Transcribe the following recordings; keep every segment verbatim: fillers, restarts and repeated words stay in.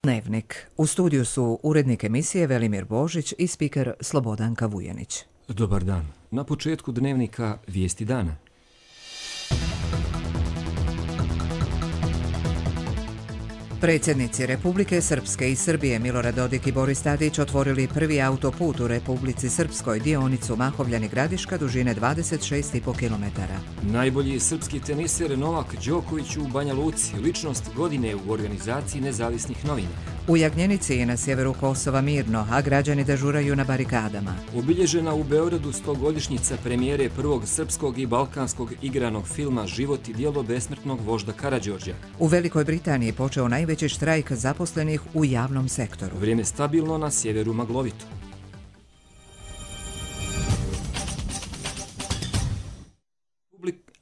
Dnevnik. U studiju su urednik emisije Velimir Božić i spiker Slobodanka Vujanić. Dobar dan. Na početku Dnevnika vijesti dana. Predsjednici Republike Srpske i Srbije Milorad Dodik i Boris Tadić otvorili prvi autoput u Republici Srpskoj, dionicu Mahovljani-Gradiška dužine dvadeset šest i po kilometara. Najbolji srpski teniser Novak Đoković u Banja Luci, ličnost godine u organizaciji nezavisnih novina. U Jagnjenici je na sjeveru Kosova mirno, a građani dežuraju na barikadama. Obilježena u Beogradu stogodišnjica premijere prvog srpskog i balkanskog igranog filma Život i djelo besmrtnog vožda Karađorđa. U Velikoj Britaniji počeo najveći štrajk zaposlenih u javnom sektoru. Vrijeme stabilno, na sjeveru maglovito.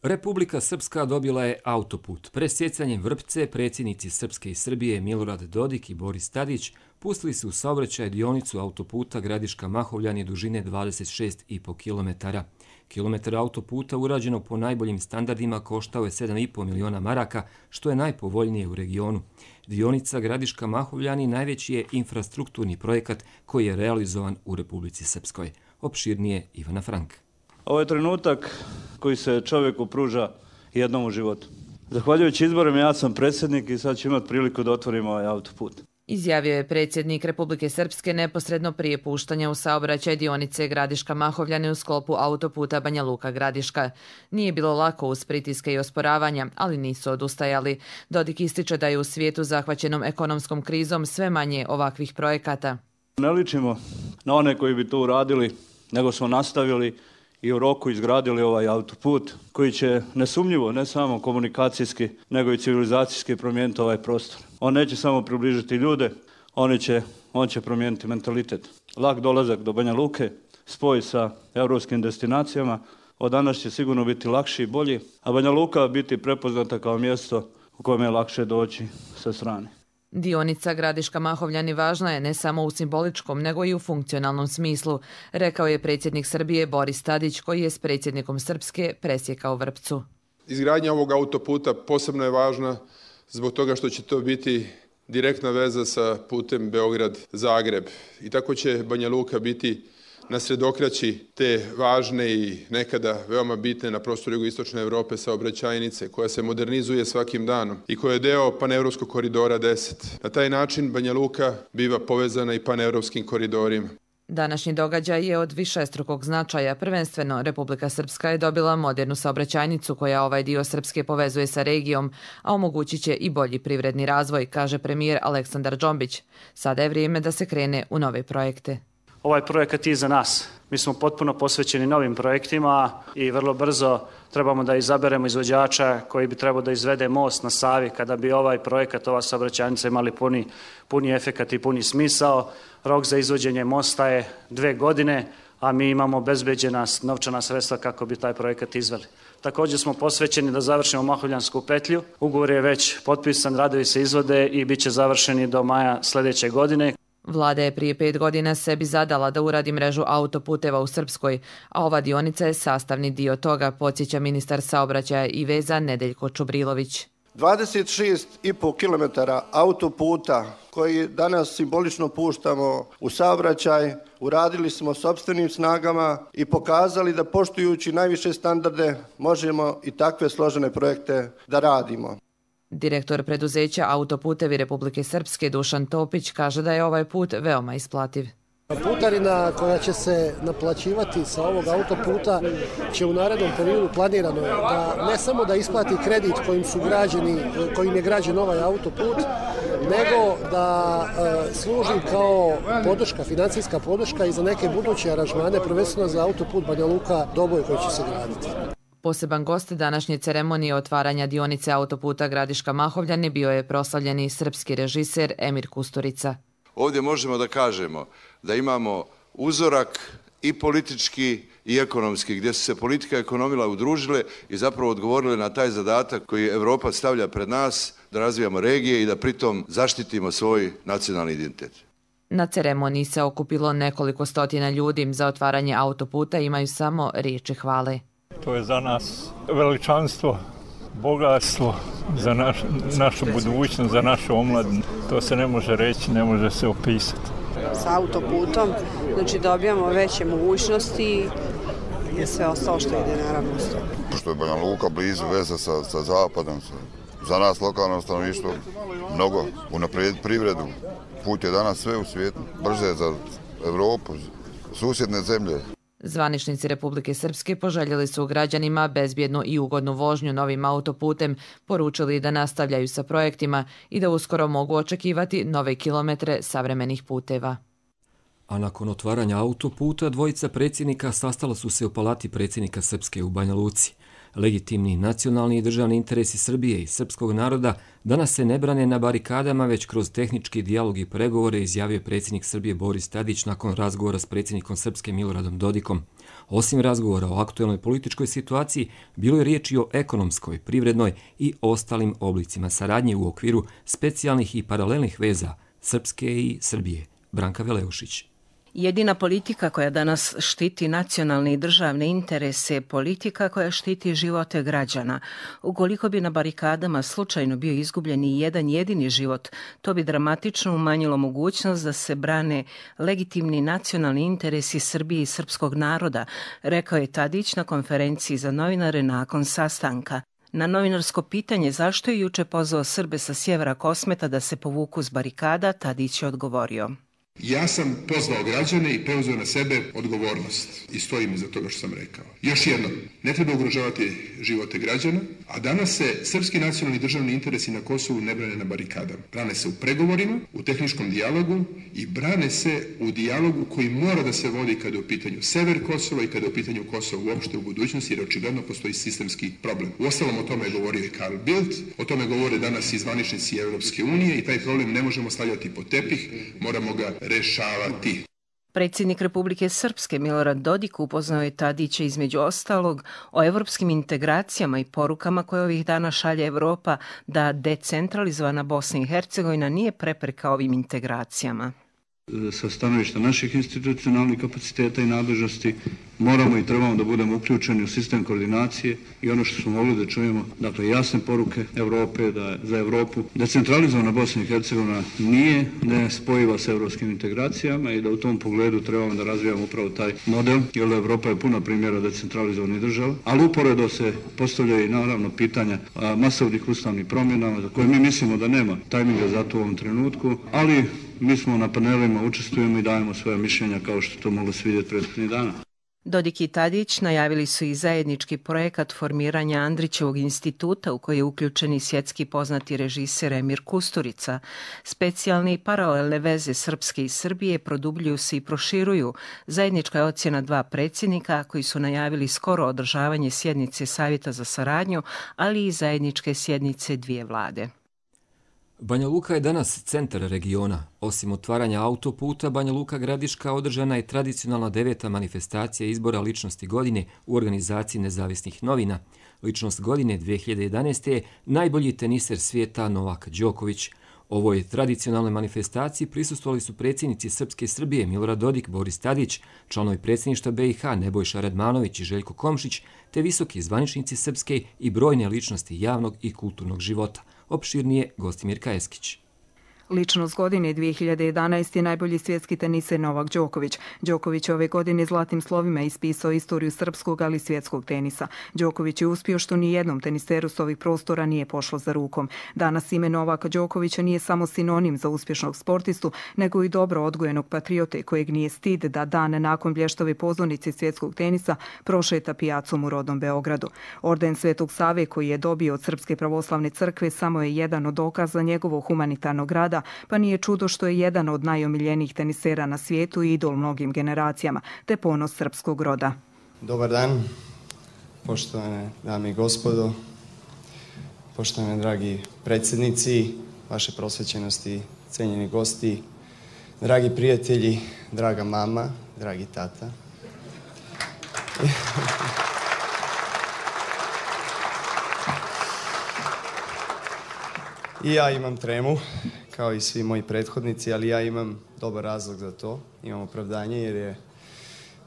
Republika Srpska dobila je autoput. Presjecanjem Vrpce predsjednici Srpske i Srbije Milorad Dodik i Boris Tadić pustili su u saobraćaj dionicu autoputa Gradiška-Mahovljani dužine dvadeset šest i po kilometara. Kilometar autoputa urađenog po najboljim standardima koštao je sedam i po miliona maraka, što je najpovoljnije u regionu. Dionica Gradiška-Mahovljani najveći je infrastrukturni projekat koji je realizovan u Republici Srpskoj. Opširnije Ivana Frank. Ovo je trenutak koji se čovjeku pruža jednom u životu. Zahvaljujući izborima ja sam predsjednik i sad ću imati priliku da otvorim ovaj autoput. Izjavio je predsjednik Republike Srpske neposredno prije puštanja u saobraćaj dionice Gradiška-Mahovljani u sklopu autoputa Banja Luka-Gradiška. Nije bilo lako uz pritiske i osporavanja, ali nisu odustajali. Dodik ističe da je u svijetu zahvaćenom ekonomskom krizom sve manje ovakvih projekata. Ne ličimo na one koji bi to uradili, nego smo nastavili i u roku izgradili ovaj autoput koji će nesumnjivo, ne samo komunikacijski, nego i civilizacijski promijeniti ovaj prostor. On neće samo približiti ljude, on će, on će promijeniti mentalitet. Lak dolazak do Banja Luke, spoj sa europskim destinacijama, od danas će sigurno biti lakši i bolji, a Banja Luka biti prepoznata kao mjesto u kojem je lakše doći sa strane. Dionica Gradiška-Mahovljani važna je ne samo u simboličkom, nego i u funkcionalnom smislu, rekao je predsjednik Srbije Boris Tadić, koji je s predsjednikom Srpske presjekao Vrpcu. Izgradnja ovog autoputa posebno je važna zbog toga što će to biti direktna veza sa putem Beograd-Zagreb. I tako će Banja Luka biti na sredokraći te važne i nekada veoma bitne na prostoru jugoistočne Evrope saobraćajnice, koja se modernizuje svakim danom i koja je deo panevropskog koridora deset. Na taj način Banja Luka biva povezana i panevropskim koridorima. Današnji događaj je od višestrukog značaja. Prvenstveno, Republika Srpska je dobila modernu saobraćajnicu koja ovaj dio Srpske povezuje sa regijom, a omogućit će i bolji privredni razvoj, kaže premijer Aleksandar Džombić. Sada je vrijeme da se krene u nove projekte. Ovaj projekat je za nas. Mi smo potpuno posvećeni novim projektima i vrlo brzo trebamo da izaberemo izvođača koji bi trebao da izvede most na Savi kada bi ovaj projekat, ova saobraćajnica imali puni, puni efekat i puni smisao. Rok za izvođenje mosta je dve godine, a mi imamo obezbeđena novčana sredstva kako bi taj projekat izveli. Također smo posvećeni da završimo Mahovljansku petlju. Ugovor je već potpisan, radovi se izvode i bit će završeni do maja sljedeće godine. Vlada je prije pet godina sebi zadala da uradi mrežu autoputeva u Srpskoj, a ova dionica je sastavni dio toga, podsjeća ministar saobraćaja i veza Nedeljko Čubrilović. dvadeset šest i po kilometara autoputa koji danas simbolično puštamo u saobraćaj, uradili smo sopstvenim snagama i pokazali da poštujući najviše standarde možemo i takve složene projekte da radimo. Direktor preduzeća Autoputevi Republike Srpske Dušan Topić kaže da je ovaj put veoma isplativ. Putarina koja će se naplaćivati sa ovog autoputa će u narednom periodu planirano da ne samo da isplati kredit kojim su građeni, kojim je građen ovaj autoput, nego da e, služi kao podrška, financijska podrška i za neke buduće aranžmane, prvenstveno za autoput Banja Luka-Doboj koji će se graditi. Poseban gost današnje ceremonije otvaranja dionice autoputa Gradiška-Mahovljani bio je proslavljeni srpski režiser Emir Kusturica. Ovdje možemo da kažemo da imamo uzorak i politički i ekonomski, gdje su se politika i ekonomija udružile i zapravo odgovorile na taj zadatak koji Evropa stavlja pred nas, da razvijamo regije i da pritom zaštitimo svoj nacionalni identitet. Na ceremoniji se okupilo nekoliko stotina ljudi. Za otvaranje autoputa imaju samo riječi hvale. To je za nas veličanstvo bogatstvo za naš, našu budućnost, za našu omladinu. To se ne može reći, ne može se opisati. Sa autoputom, znači dobijamo veće mogućnosti i sve ostalo što ide naravno s to. Što je Banja Luka blizu veze sa, sa zapadom, za nas lokalno stanovništvo mnogo unaprijediti privredu. Put je danas sve u svijetu, brže za Evropu, susjedne zemlje. Zvaničnici Republike Srpske poželjeli su građanima bezbjednu i ugodnu vožnju novim autoputem, poručili da nastavljaju sa projektima i da uskoro mogu očekivati nove kilometre savremenih puteva. A nakon otvaranja autoputa, dvojica predsjednika sastala su se u palati predsjednika Srpske u Banja Luci. Legitimni nacionalni i državni interesi Srbije i srpskog naroda danas se ne brane na barikadama, već kroz tehnički dijalog i pregovore, izjavio predsjednik Srbije Boris Tadić nakon razgovora s predsjednikom Srpske Miloradom Dodikom. Osim razgovora o aktuelnoj političkoj situaciji, bilo je riječ i o ekonomskoj, privrednoj i ostalim oblicima saradnje u okviru specijalnih i paralelnih veza Srpske i Srbije. Branka Veleušić. Jedina politika koja danas štiti nacionalne i državne interese je politika koja štiti živote građana. Ukoliko bi na barikadama slučajno bio izgubljen i jedan jedini život, to bi dramatično umanjilo mogućnost da se brane legitimni nacionalni interesi Srbije i srpskog naroda, rekao je Tadić na konferenciji za novinare nakon sastanka. Na novinarsko pitanje zašto je juče pozvao Srbe sa sjevera Kosmeta da se povuku s barikada, Tadić je odgovorio. Ja sam pozvao građane i preuzeo na sebe odgovornost i stojim iza toga što sam rekao. Još jednom, ne treba ugrožavati živote građana, a danas se srpski nacionalni državni interesi na Kosovu ne brane na barikadama. Brane se u pregovorima, u tehničkom dijalogu i brane se u dijalogu koji mora da se vodi kada je u pitanju sever Kosova i kada je u pitanju Kosova uopšte u budućnosti, jer očigledno postoji sistemski problem. Uostalom, o tome je govorio i Carl Bildt, o tome govore danas i zvaničnici Evropske unije i taj problem ne možemo stavljati pod tepih, moramo ga rešavati. Predsjednik Republike Srpske Milorad Dodik upoznao je Tadića između ostalog o evropskim integracijama i porukama koje ovih dana šalje Evropa da decentralizovana Bosna i Hercegovina nije prepreka ovim integracijama. Sa stanovišta naših institucionalnih kapaciteta i nadležnosti moramo i trebamo da budemo uključeni u sistem koordinacije i ono što smo mogli da čujemo, dakle jasne poruke Evrope, da za Evropu decentralizovana Bosna i Hercegovina nije nespojiva sa evropskim integracijama i da u tom pogledu trebamo da razvijamo upravo taj model, jer Evropa je puna primjera decentralizovanih država, ali uporedo se postavljaju i naravno pitanja masovnih ustavnih promjena za koje mi mislimo da nema tajminga za to u ovom trenutku, ali mi smo na panelima, učestvujemo i dajemo svoje mišljenja kao što to moglo se vidjeti prethodnih dana. Dodik i Tadić najavili su i zajednički projekat formiranja Andrićevog instituta u koji je uključen i svjetski poznati režiser Emir Kusturica. Specijalne i paralelne veze Srpske i Srbije produbljuju se i proširuju. Zajednička je ocjena dva predsjednika koji su najavili skoro održavanje sjednice Savjeta za saradnju, ali i zajedničke sjednice dvije vlade. Banja Luka je danas centar regiona. Osim otvaranja autoputa, Banja Luka Gradiška održana je tradicionalna deveta manifestacija izbora ličnosti godine u organizaciji nezavisnih novina. Ličnost godine dvije hiljade jedanaeste. je najbolji teniser svijeta Novak Đoković. Ovoj tradicionalnoj manifestaciji prisustvovali su predsjednici Srpske i Srbije Milorad Dodik, Boris Tadić, članovi predsjedništva B i H Nebojša Radmanović i Željko Komšić, te visoki zvaničnici Srpske i brojne ličnosti javnog i kulturnog života. Opširnije Gostimir Kajeskić. Ličnost godine dvije hiljade jedanaeste. je najbolji svjetski teniser Novak Đoković. Đoković ove godine zlatnim slovima ispisao istoriju srpskog, ali i svjetskog tenisa. Đoković je uspio što ni jednom teniseru s ovih prostora nije pošlo za rukom. Danas ime Novaka Đokovića nije samo sinonim za uspješnog sportistu, nego i dobro odgojenog patriote kojeg nije stid da dan nakon blještave pozornice svjetskog tenisa prošeta pijacom u rodnom Beogradu. Orden Svetog Save koji je dobio od Srpske pravoslavne crkve samo je jedan od dokaza njegovog humanitarnog rada, pa nije čudo što je jedan od najomiljenijih tenisera na svijetu i idol mnogim generacijama, te ponos srpskog roda. Dobar dan, poštovane dame i gospodo, poštovane dragi predsjednici, vaše prosvećenosti, cenjeni gosti, dragi prijatelji, draga mama, dragi tata. I ja imam tremu, kao i svi moji prethodnici, ali ja imam dobar razlog za to. Imam opravdanje jer je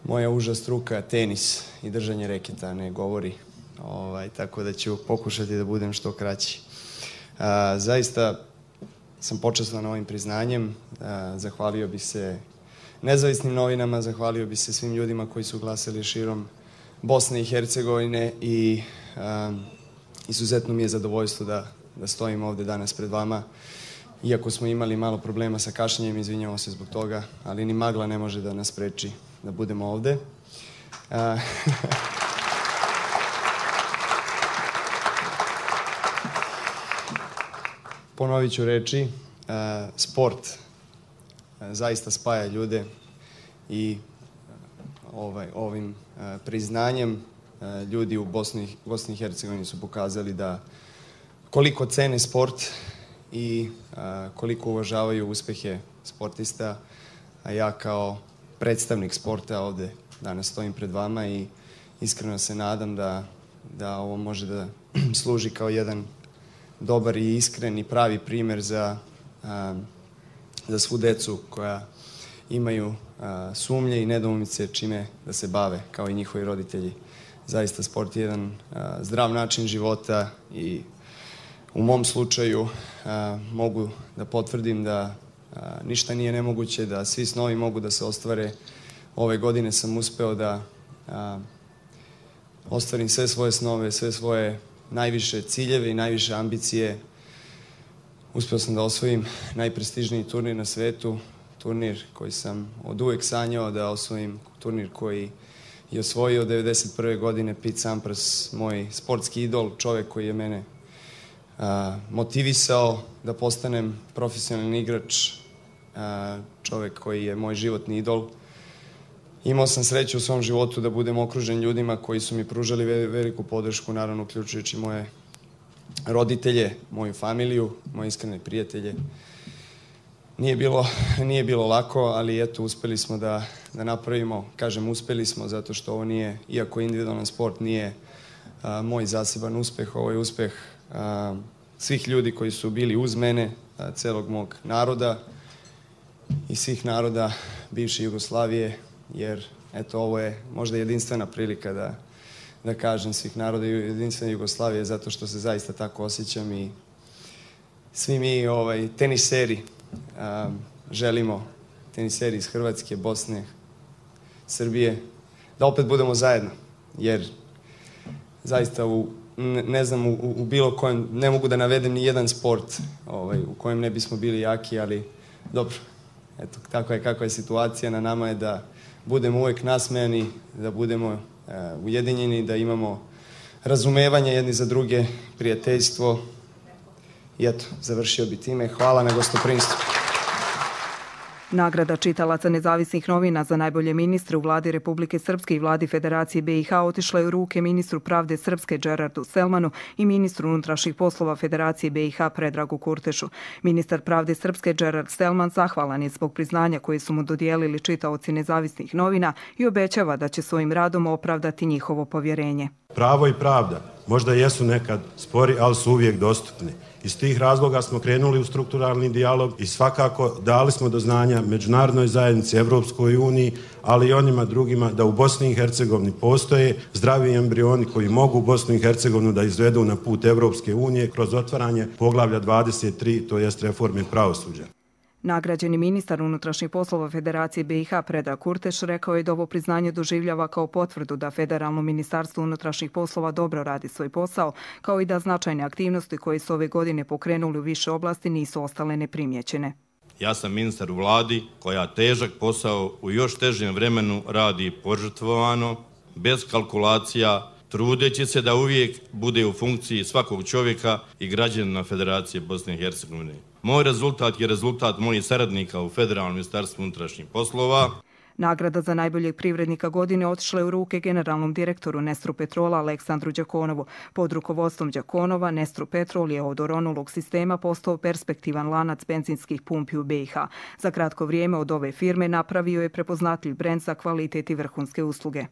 moja uža struka tenis i držanje reketa, ne govori ovaj, tako da ću pokušati da budem što kraći. A, zaista sam počastan ovim priznanjem, a, zahvalio bih se nezavisnim novinama, zahvalio bih se svim ljudima koji su glasali širom Bosne i Hercegovine i a, izuzetno mi je zadovoljstvo da, da stojim ovde danas pred vama. Iako smo imali malo problema sa kašnjenjem, izvinjamo se zbog toga, ali ni magla ne može da nas spreči da budemo ovde. A, Ponovit ću reči, a, sport a, zaista spaja ljude i ovaj, ovim a, priznanjem a, ljudi u Bosni, Bosni i Hercegovini su pokazali da koliko cene sport i a, koliko uvažavaju uspehe sportista, a ja kao predstavnik sporta ovde danas stojim pred vama i iskreno se nadam da, da ovo može da služi kao jedan dobar i iskren i pravi primer za, a, za svu decu koja imaju a, sumnje i nedoumice čime da se bave, kao i njihovi roditelji. Zaista sport je jedan a, zdrav način života i u mom slučaju a, mogu da potvrdim da a, ništa nije nemoguće, da svi snovi mogu da se ostvare. Ove godine sam uspeo da a, ostvarim sve svoje snove, sve svoje najviše ciljeve i najviše ambicije. Uspeo sam da osvojim najprestižniji turnir na svetu, turnir koji sam od uvek sanjao da osvojim, turnir koji je osvojio devedeset prve godine Pete Sampras, moj sportski idol, čovek koji je mene a, motivisao da postanem profesionalni igrač, a, čovek koji je moj životni idol. Imao sam sreću u svom životu da budem okružen ljudima koji su mi pružali veliku podršku, naravno uključujući moje roditelje, moju familiju, moje iskrene prijatelje. Nije bilo, nije bilo lako, ali eto, uspeli smo da, da napravimo, kažem uspeli smo zato što ovo nije, iako individualan sport nije a, moj zaseban uspeh, ovo je uspeh a, svih ljudi koji su bili uz mene, a, celog mog naroda i svih naroda bivše Jugoslavije, jer eto, ovo je možda jedinstvena prilika da, da kažem svih naroda jedinstvene Jugoslavije, zato što se zaista tako osjećam i svi mi ovaj, teniseri a, želimo, teniseri iz Hrvatske, Bosne, Srbije, da opet budemo zajedno, jer zaista u, ne, ne znam, u, u bilo kojem, ne mogu da navedem ni jedan sport ovaj, u kojem ne bismo bili jaki, ali dobro, eto, tako je kakva je situacija, na nama je da budemo uvek nasmejani, da budemo uh, ujedinjeni, da imamo razumevanje jedni za druge, prijateljstvo. I eto, završio bi time. Hvala na gostoprimstvu. Nagrada čitalaca nezavisnih novina za najbolje ministre u vladi Republike Srpske i vladi Federacije be i ha otišla je u ruke ministru pravde Srpske Džerardu Selmanu i ministru unutrašnjih poslova Federacije be i ha Predragu Kurtešu. Ministar pravde Srpske Džerard Selman zahvalan je zbog priznanja koje su mu dodijelili čitaoci nezavisnih novina i obećava da će svojim radom opravdati njihovo povjerenje. Pravo i pravda možda jesu nekad spori, ali su uvijek dostupni. Iz tih razloga smo krenuli u strukturalni dijalog i svakako dali smo do znanja međunarodnoj zajednici, Evropskoj uniji, ali i onima drugima da u Bosni i Hercegovini postoje zdravi embrioni koji mogu Bosnu i Hercegovinu da izvedu na put Evropske unije kroz otvaranje poglavlja dvadeset tri, to jest reforme pravosuđa. Nagrađeni ministar unutrašnjih poslova Federacije be i ha Predrag Kurteš rekao je da ovo priznanje doživljava kao potvrdu da Federalno ministarstvo unutrašnjih poslova dobro radi svoj posao, kao i da značajne aktivnosti koje su ove godine pokrenuli u više oblasti nisu ostale neprimjećene. Ja sam ministar u vladi koja težak posao u još težem vremenu radi požrtvovano, bez kalkulacija, trudeći se da uvijek bude u funkciji svakog čovjeka i građanina Federacije Bosne i Hercegovine. Moj rezultat je rezultat mojih saradnika u Federalnom ministarstvu unutrašnjih poslova. Nagrada za najboljeg privrednika godine otišla je u ruke generalnom direktoru Nestru Petrola Aleksandru Đakonovu. Pod rukovodstvom Đakonova, Nestru Petrol je od oronulog sistema postao perspektivan lanac benzinskih pumpi u be i ha. Za kratko vrijeme od ove firme napravio je prepoznatljiv brend za kvalitet i vrhunske usluge.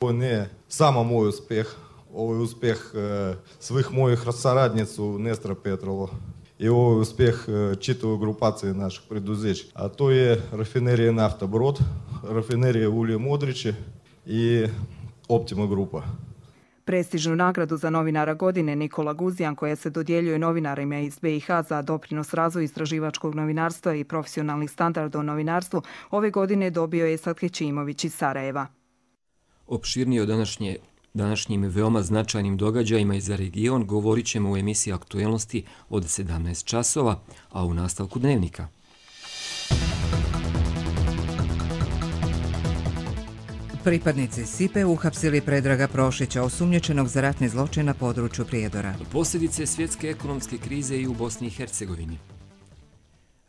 Ovo nije samo moj uspjeh, ovo je uspjeh e, svih mojih saradnica u Nestra Petrolu. I ovo je uspjeh čitave grupacije naših preduzeća. A to je rafinerija Nafta Brod, rafinerija Ulje Modriće i Optima grupa. Prestižnu nagradu za novinara godine Nikola Guzijan, koja se dodjeljuje novinarima iz B i H za doprinos razvoju istraživačkog novinarstva i profesionalnih standarda u novinarstvu, ove godine dobio je Esad Hećimović iz Sarajeva. Opširnije o današnje Današnjim veoma značajnim događajima i za region govorit ćemo u emisiji Aktuelnosti od sedamnaest časova, a u nastavku Dnevnika. Pripadnici Sipe uhapsili Predraga Prošića, osumnjičenog za ratni zločin na području Prijedora. Posljedice svjetske ekonomske krize i u Bosni i Hercegovini.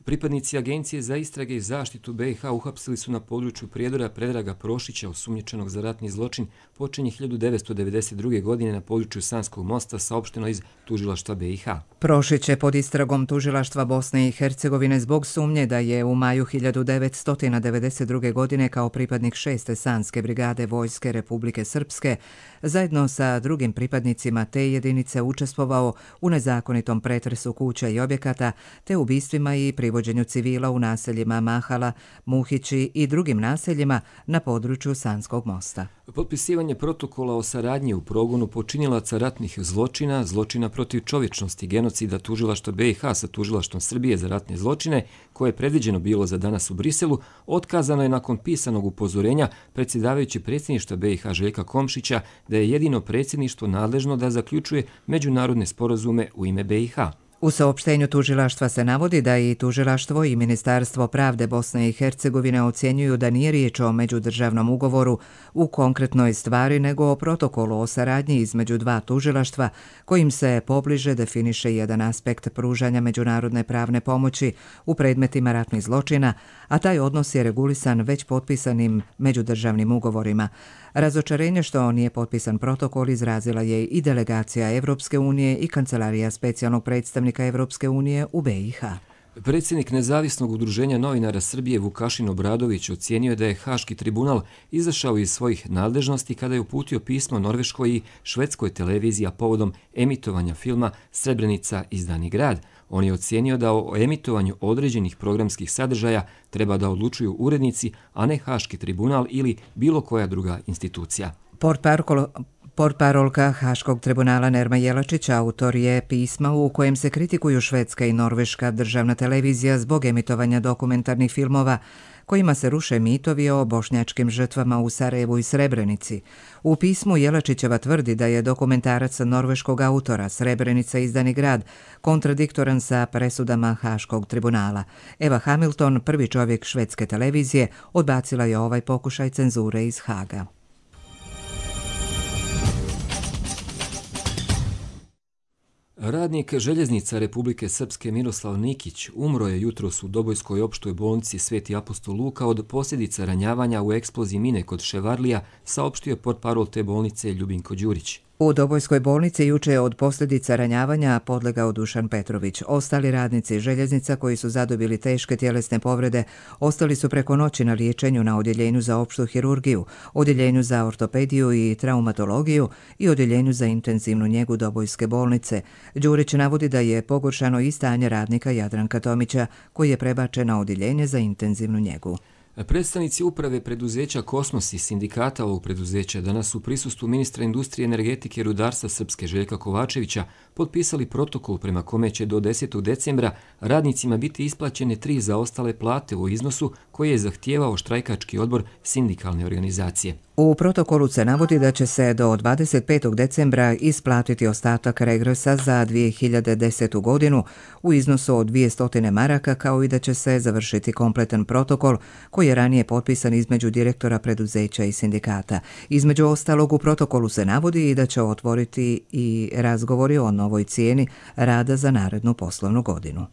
Pripadnici Agencije za istrage i zaštitu B i H uhapsili su na području Prijedora Predraga Prošića, osumnjičenog za ratni zločin počinje hiljadu devetsto devedeset druge. godine na području Sanskog mosta, saopšteno iz tužilaštva B i H. Prošić je pod istragom tužilaštva Bosne i Hercegovine zbog sumnje da je u maju hiljadu devetsto devedeset druge. godine kao pripadnik šeste Sanske brigade Vojske Republike Srpske zajedno sa drugim pripadnicima te jedinice učestvovao u nezakonitom pretresu kuća i objekata te ubistvima i privođenju civila u naseljima Mahala, Muhići i drugim naseljima na području Sanskog mosta. Potpisivanje protokola o saradnji u progonu počinilaca ratnih zločina, zločina protiv čovječnosti, genocida tužilaštva B i H sa tužilaštvom Srbije za ratne zločine, koje je predviđeno bilo za danas u Briselu, otkazano je nakon pisanog upozorenja predsjedavajući predsjedništva B i H Željka Komšića da je jedino predsjedništvo nadležno da zaključuje međunarodne sporazume u ime B i H. U saopštenju tužilaštva se navodi da i tužilaštvo i Ministarstvo pravde Bosne i Hercegovine ocjenjuju da nije riječ o međudržavnom ugovoru u konkretnoj stvari, nego o protokolu o saradnji između dva tužilaštva kojim se pobliže definiše jedan aspekt pružanja međunarodne pravne pomoći u predmetima ratnih zločina, a taj odnos je regulisan već potpisanim međudržavnim ugovorima. Razočarenje što nije potpisan protokol izrazila je i delegacija Evropske unije i Kancelarija specijalnog predstavnika Evropske unije u B i H. Predsjednik Nezavisnog udruženja novinara Srbije Vukašin Obradović ocijenio je da je Haški tribunal izašao iz svojih nadležnosti kada je uputio pismo norveškoj i švedskoj televiziji povodom emitovanja filma Srebrenica izdani grad. On je ocijenio da o emitovanju određenih programskih sadržaja treba da odlučuju urednici, a ne Haški tribunal ili bilo koja druga institucija. Portparolka Haškog tribunala Nerma Jelačić autor je pisma u kojem se kritikuju švedska i norveška državna televizija zbog emitovanja dokumentarnih filmova kojima se ruše mitovi o bošnjačkim žrtvama u Sarajevu i Srebrenici. U pismu Jelačićeva tvrdi da je dokumentarac norveškog autora Srebrenica izdani grad kontradiktoran sa presudama Haškog tribunala. Eva Hamilton, prvi čovjek švedske televizije, odbacila je ovaj pokušaj cenzure iz Haga. Radnik željeznica Republike Srpske Miroslav Nikić umro je jutros u Dobojskoj opštoj bolnici Sveti apostol Luka od posljedica ranjavanja u eksploziji mine kod Ševarlija, saopštio portparol te bolnice Ljubinko Đurić. U Dobojskoj bolnici juče je od posljedica ranjavanja podlegao Dušan Petrović. Ostali radnici željeznica koji su zadobili teške tjelesne povrede ostali su preko noći na liječenju na odjeljenju za opštu hirurgiju, odjeljenju za ortopediju i traumatologiju i odjeljenju za intenzivnu njegu Dobojske bolnice. Đurić navodi da je pogoršano i stanje radnika Jadranka Tomića koji je prebačen na odjeljenje za intenzivnu njegu. Predstavnici uprave preduzeća Kosmos i sindikata ovog preduzeća danas u prisustvu ministra industrije, energetike i rudarstva Srpske Željka Kovačevića potpisali protokol prema kome će do desetog decembra radnicima biti isplaćene tri zaostale plate u iznosu koji je zahtijevao štrajkački odbor sindikalne organizacije. U protokolu se navodi da će se do dvadeset petog decembra isplatiti ostatak regresa za dvije hiljade desetu. godinu u iznosu od dvjesto maraka, kao i da će se završiti kompletan protokol koji je ranije potpisan između direktora preduzeća i sindikata. Između ostalog, u protokolu se navodi i da će otvoriti i razgovori o novoj cijeni rada za narednu poslovnu godinu.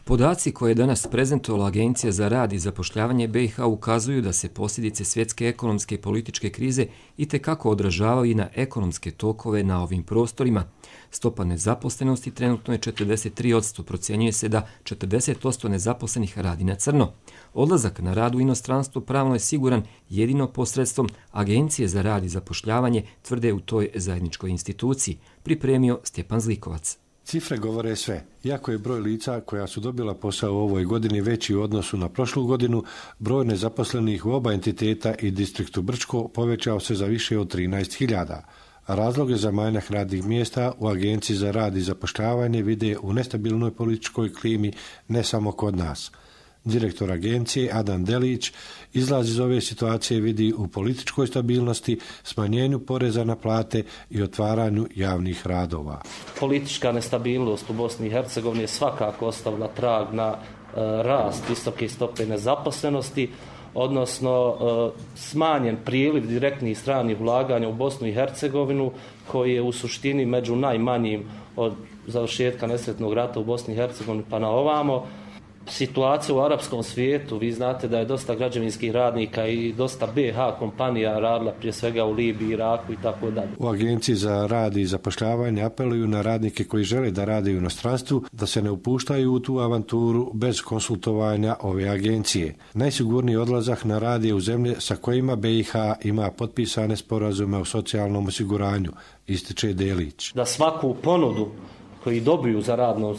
Podaci koje je danas prezentovala Agencija za rad i zapošljavanje B i H ukazuju da se posljedice svjetske ekonomske i političke krize itekako odražavaju i na ekonomske tokove na ovim prostorima. Stopa nezaposlenosti trenutno je četrdeset tri posto, procjenjuje se da četrdeset posto nezaposlenih radi na crno. Odlazak na rad u inostranstvo pravno je siguran jedino posredstvom Agencije za rad i zapošljavanje, tvrde u toj zajedničkoj instituciji, pripremio Stjepan Zlikovac. Cifre govore sve. Iako je broj lica koja su dobila posao u ovoj godini veći u odnosu na prošlu godinu, broj nezaposlenih u oba entiteta i distriktu Brčko povećao se za više od trinaest hiljada. a razloge za manjak radnih mjesta u Agenciji za rad i zapošljavanje vide u nestabilnoj političkoj klimi ne samo kod nas. Direktor agencije Adam Delić izlaz iz ove situacije vidi u političkoj stabilnosti, smanjenju poreza na plate i otvaranju javnih radova. Politička nestabilnost u Bosni i Hercegovini je svakako ostavila trag na e, rast visoke stope nezaposlenosti, odnosno e, smanjen priliv direktnih stranih ulaganja u Bosnu i Hercegovinu, koji je u suštini među najmanjim od završetka nesretnog rata u Bosni i Hercegovini pa na ovamo. Situacija u arapskom svijetu, vi znate da je dosta građevinskih radnika i dosta be ha kompanija radila prije svega u Libiji, Iraku i tako dalje. U Agenciji za rad i zapošljavanje apeluju na radnike koji žele da rade u inostranstvu da se ne upuštaju u tu avanturu bez konsultovanja ove agencije. Najsigurniji odlazak na rad je u zemlje sa kojima be i ha ima potpisane sporazume o socijalnom osiguranju, ističe Delić. Da svaku ponudu koji dobiju za radnom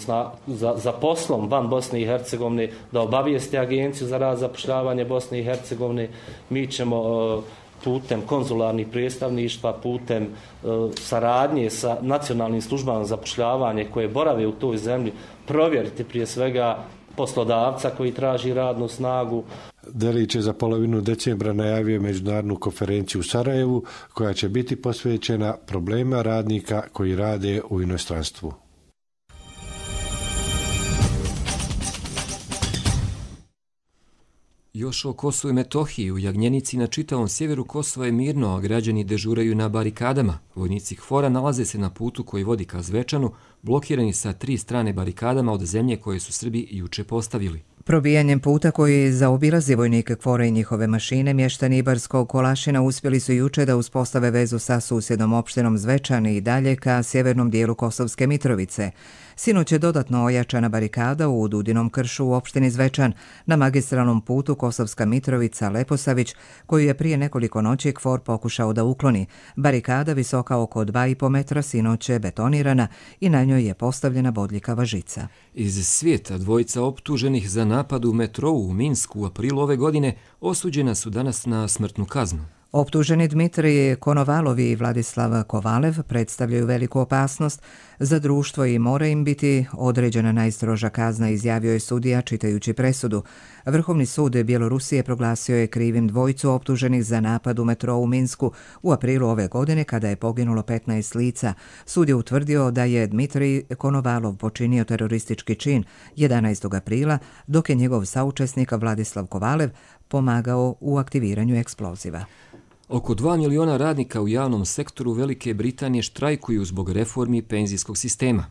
za, za poslom van Bosne i Hercegovine, da obavijeste Agenciju za rad zapošljavanje Bosne i Hercegovine. Mi ćemo uh, putem konzularnih predstavništva, putem uh, saradnje sa nacionalnim službama zapošljavanje koje borave u toj zemlji, provjeriti prije svega poslodavca koji traži radnu snagu. Delić je za polovinu decembra najavio međunarodnu konferenciju u Sarajevu koja će biti posvećena problema radnika koji rade u inostranstvu. Još o Kosovu i Metohiji. U Jagnjenici na čitavom sjeveru Kosova je mirno, a građani dežuraju na barikadama. Vojnici KFOR-a nalaze se na putu koji vodi ka Zvečanu, blokirani sa tri strane barikadama od zemlje koje su Srbi juče postavili. Probijanjem puta koji zaobilazi vojnike KFOR-a i njihove mašine, mještani Ibarskog Kolašina uspjeli su juče da uspostave vezu sa susjednom opštinom Zvečan i dalje ka sjevernom dijelu Kosovske Mitrovice. Sinoć je dodatno ojačana barikada u Dudinom kršu u opštini Zvečan na magistralnom putu Kosovska Mitrovica-Leposavić, koju je prije nekoliko noći KFOR pokušao da ukloni. Barikada visoka oko dva i po metra sinoć je betonirana i na njoj je postavljena bodljikava žica. Iz svijeta dvojica optuženih za napad u metrou u Minsku u aprilu ove godine osuđena su danas na smrtnu kaznu. Optuženi Dmitrij Konovalov i Vladislav Kovalev predstavljaju veliku opasnost za društvo i mora im biti određena najstroža kazna, izjavio je sudija čitajući presudu. Vrhovni sud Bjelorusije proglasio je krivim dvojicu optuženih za napad u metrou u Minsku u aprilu ove godine kada je poginulo petnaest lica. Sud je utvrdio da je Dmitrij Konovalov počinio teroristički čin jedanaestog aprila, dok je njegov saučesnik Vladislav Kovalev pomagao u aktiviranju eksploziva. Oko dva miliona radnika u javnom sektoru Velike Britanije štrajkuju zbog reformi penzijskog sistema.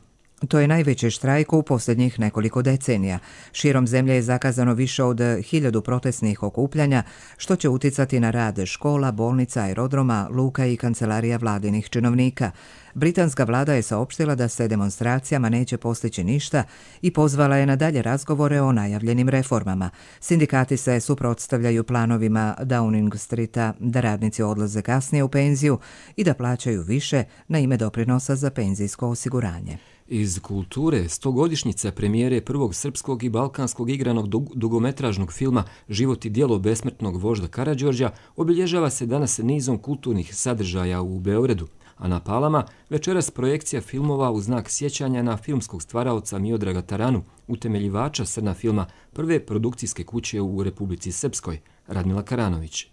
To je najveći štrajk u posljednjih nekoliko decenija. Širom zemlje je zakazano više od hiljadu protestnih okupljanja, što će uticati na rad škola, bolnica, aerodroma, luka i kancelarija vladinih činovnika. Britanska vlada je saopštila da se demonstracijama neće postići ništa i pozvala je na dalje razgovore o najavljenim reformama. Sindikati se suprotstavljaju planovima Downing Streeta da radnici odlaze kasnije u penziju i da plaćaju više na ime doprinosa za penzijsko osiguranje. Iz kulture, stogodišnjica premijere prvog srpskog i balkanskog igranog dugometražnog filma Život i djelo besmrtnog vožda Karađorđa obilježava se danas nizom kulturnih sadržaja u Beogradu, a na Palama večeras projekcija filmova u znak sjećanja na filmskog stvaraoca Miodraga Taranu, utemeljivača Srna filma, prve produkcijske kuće u Republici Srpskoj, Radmila Karanović.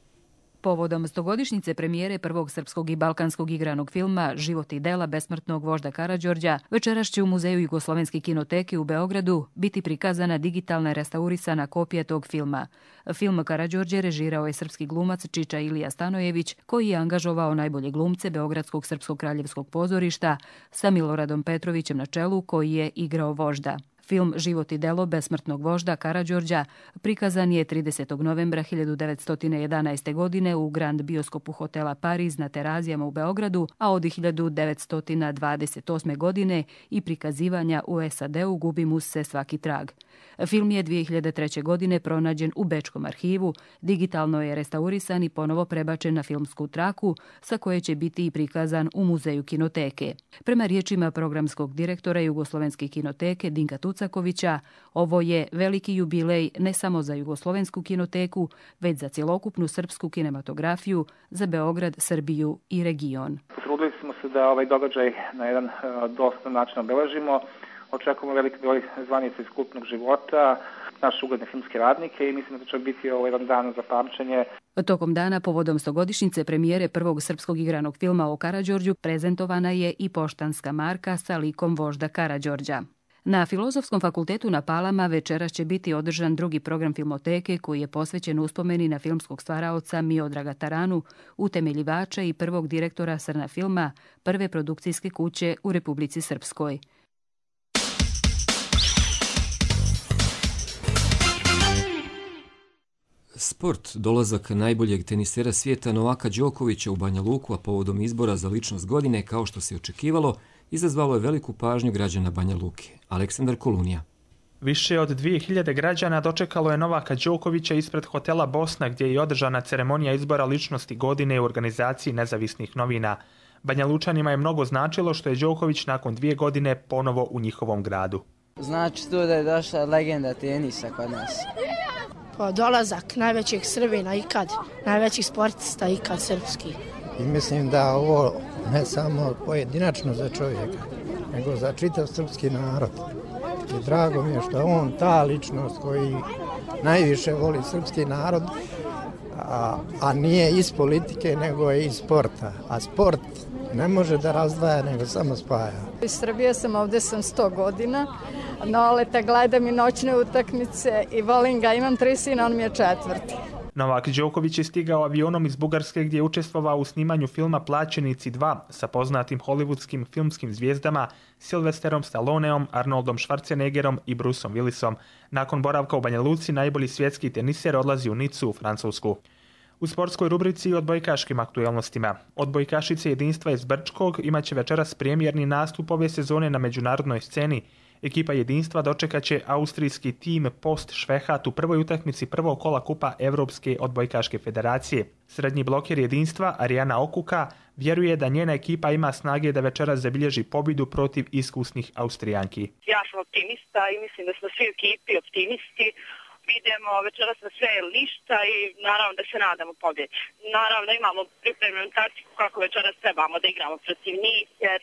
Povodom stogodišnjice premijere prvog srpskog i balkanskog igranog filma Život i dela besmrtnog vožda Karađorđa, večeras će u Muzeju Jugoslovenske kinoteke u Beogradu biti prikazana digitalna restaurisana kopija tog filma. Film Karađorđe režirao je srpski glumac Čiča Ilija Stanojević, koji je angažovao najbolje glumce Beogradskog srpskog kraljevskog pozorišta sa Miloradom Petrovićem na čelu, koji je igrao vožda. Film Život i delo besmrtnog vožda Karađorđa prikazan je tridesetog novembra hiljadu devetsto jedanaeste. godine u Grand Bioskopu hotela Pariz na Terazijama u Beogradu, a od hiljadu devetsto dvadeset osme. godine i prikazivanja u es a de u gubi mu se svaki trag. Film je dvije hiljade treće. godine pronađen u Bečkom arhivu, digitalno je restaurisan i ponovo prebačen na filmsku traku, sa koje će biti i prikazan u Muzeju kinoteke. Prema riječima programskog direktora Jugoslovenske kinoteke Dinka Tucakovića, ovo je veliki jubilej ne samo za Jugoslovensku kinoteku, već za cjelokupnu srpsku kinematografiju, za Beograd, Srbiju i region. Potrudili smo se da ovaj događaj na jedan dostojan način obeležimo. Očekujemo veliki broj zvanica iz kulturnog života, naše ugledne filmske radnike i mislim da će biti ovo jedan dan za pamćenje. Tokom dana povodom stogodišnjice premijere prvog srpskog igranog filma o Karađorđu prezentovana je i poštanska marka sa likom vožda Karađorđa. Na Filozofskom fakultetu na Palama večeras će biti održan drugi program Filmoteke koji je posvećen uspomeni na filmskog stvaraoca Miodraga Taranu, utemeljivača i prvog direktora Srna filma, prve produkcijske kuće u Republici Srpskoj. Sport, dolazak najboljeg tenisera svijeta Novaka Đokovića u Banja Luku, a povodom izbora za ličnost godine, kao što se očekivalo, izazvalo je veliku pažnju građana Banja Luke. Aleksandar Kolunija. Više od dvije hiljade građana dočekalo je Novaka Đokovića ispred hotela Bosna, gdje je održana ceremonija izbora ličnosti godine u organizaciji nezavisnih novina. Banja Lučanima je mnogo značilo što je Đoković nakon dvije godine ponovo u njihovom gradu. Znači to da je došla legenda tenisa kod nas. Pa dolazak najvećeg Srbina ikad, najvećih sportista ikad srpski. I mislim da ovo ne samo pojedinačno za čovjeka, nego za čitav srpski narod. I drago mi je što je on ta ličnost koji najviše voli srpski narod, a, a nije iz politike, nego je iz sporta. A sport ne može da razdvaja, nego samo spaja. Iz Srbije sam, ovdje sam sto godina. Noleta gledam i noćne utakmice i volim ga, imam tri sina, on mi je četvrti. Novak Đoković je stigao avionom iz Bugarske gdje je učestvovao u snimanju filma Plaćenici dva sa poznatim hollywoodskim filmskim zvijezdama Sylvesterom Stalloneom, Arnoldom Schwarzeneggerom i Bruceom Willisom. Nakon boravka u Banja Luci, najbolji svjetski teniser odlazi u Nicu u Francusku. U sportskoj rubrici i odbojkaškim aktualnostima. Odbojkašice Jedinstva iz Brčkog imaće večeras premijerni nastup ove sezone na međunarodnoj sceni. Ekipa Jedinstva dočekaće austrijski tim Post Švehat u prvoj utakmici prvog kola kupa Evropske odbojkaške federacije. Srednji bloker Jedinstva, Arijana Okuka, vjeruje da njena ekipa ima snage da večeras zabilježi pobjedu protiv iskusnih Austrijanki. Ja sam optimista i mislim da smo svi u ekipi optimisti. Vidimo večeras na sve lišta i naravno da se nadamo pobjedi. Naravno imamo pripremljenu taktiku kako večeras trebamo da igramo protiv njih, jer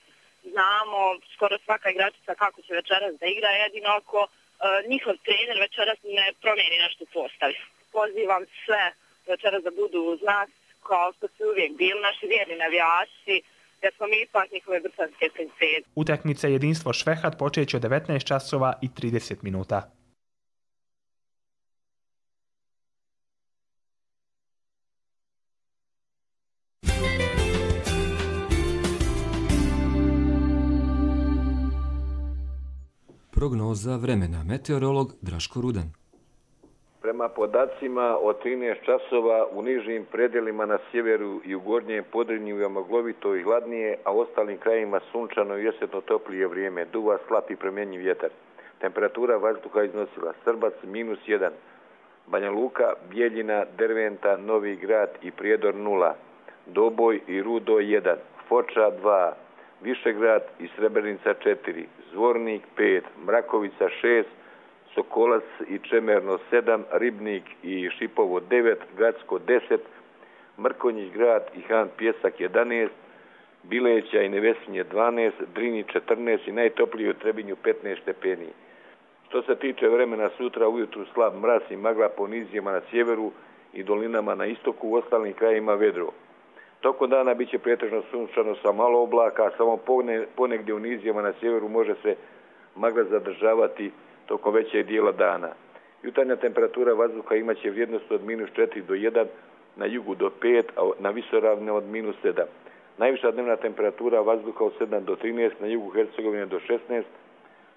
znamo skoro svaka igračica kako će večeras da igra, jedino ako e, njihov trener večeras ne promijeni nešto u postavi. Pozivam sve večeras da budu uz nas kao što su uvijek bili naši vjerni navijači, jer smo mi ipak njihove brtanske princeze. Utakmica Jedinstvo Švehat počeće od devetnaest časova i trideset minuta. Prognoza vremena. Meteorolog Draško Rudan. Prema podacima od trinaest časova u nižim predjelima na sjeveru i u gornjem Podrinju je maglovito i hladnije, a u ostalim krajima sunčano i jesetno toplije vrijeme. Duva slab i promjenjiv vjetar. Temperatura vazduha iznosila Srbac minus jedan, Banja Luka, Bijeljina, Derventa, Novi Grad i Prijedor nula, Doboj i Rudo jedan, Foča dva, Višegrad i Srebrenica četiri, Zvornik pet, Mrakovica šest, Sokolac i Čemerno sedam, Ribnik i Šipovo devet, Gacko deset, Mrkonjić grad i Han Pjesak jedanaest, Bileća i Nevesinje dvanaest, Drini četrnaest i najtoplije u Trebinju petnaest stepeni. Što se tiče vremena sutra, ujutru slab mraz i magla po nizijama na sjeveru i dolinama na istoku, u ostalim krajima vedro. Tokom dana biće pretežno sunčano sa malo oblaka, a samo ponegdje u nizijama na sjeveru može se magla zadržavati tokom većeg dijela dana. Jutarnja temperatura vazduha imaće vrijednost od minus četiri do jedan, na jugu do pet, a na visoravne od minus sedam. Najviša dnevna temperatura vazduha od sedam do trinaest, na jugu Hercegovine do šesnaest,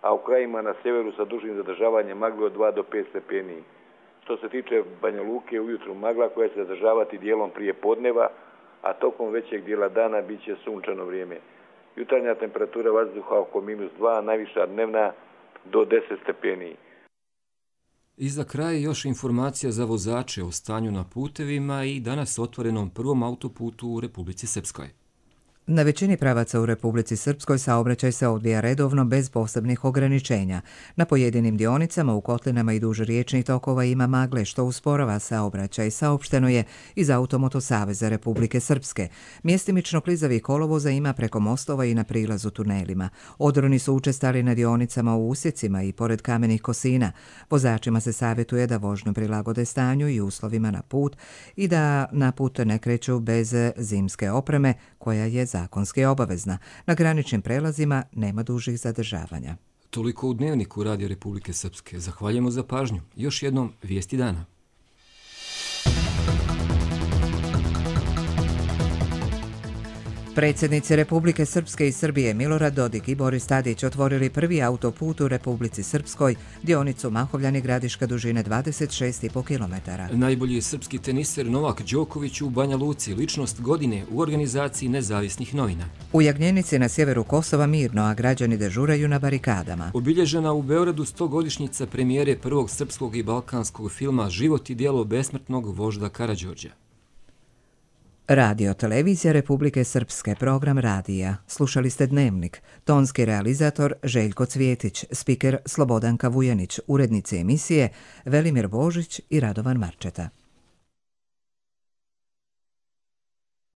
a u krajima na sjeveru sa dužim zadržavanjem magle od dva do pet stepeni. Što se tiče Banja Luke, ujutru magla koja se zadržavati dijelom prije podneva, a tokom većeg dijela dana bit će sunčano vrijeme. Jutarnja temperatura vazduha oko minus dva, najviša dnevna do deset stepeni. I za kraj još informacija za vozače o stanju na putevima i danas otvorenom prvom autoputu u Republici Srpskoj. Na većini pravaca u Republici Srpskoj saobraćaj se odvija redovno bez posebnih ograničenja. Na pojedinim dionicama u kotlinama i duž riječnih tokova ima magle što usporava saobraćaj, saopšteno je iz Automoto saveza Republike Srpske. Mjestimično klizavih kolovoza ima preko mostova i na prilazu tunelima. Odroni su učestali na dionicama u usjecima i pored kamenih kosina. Vozačima se savjetuje da vožnju prilagode stanju i uslovima na put i da na put ne kreću bez zimske opreme koja je zakonski obavezna. Na graničnim prelazima nema dužih zadržavanja. Toliko u Dnevniku Radio Republike Srpske. Zahvaljujemo za pažnju. Još jednom vijesti dana. Predsjednici Republike Srpske i Srbije Milorad Dodik i Boris Tadić otvorili prvi autoput u Republici Srpskoj, dionicu Mahovljani Gradiška dužine dvadeset šest i po kilometara. Najbolji srpski teniser Novak Đoković u Banja Luci, ličnost godine u organizaciji nezavisnih novina. U Jagnjenici na sjeveru Kosova mirno, a građani dežuraju na barikadama. Obilježena u Beogradu stogodišnjica premijere prvog srpskog i balkanskog filma Život i djelo besmrtnog vožda Karađorđa. Radio Televizija Republike Srpske, program radija. Slušali ste Dnevnik. Tonski realizator Željko Cvjetić, spiker Slobodanka Vujanić, urednice emisije Velimir Božić i Radovan Marčeta.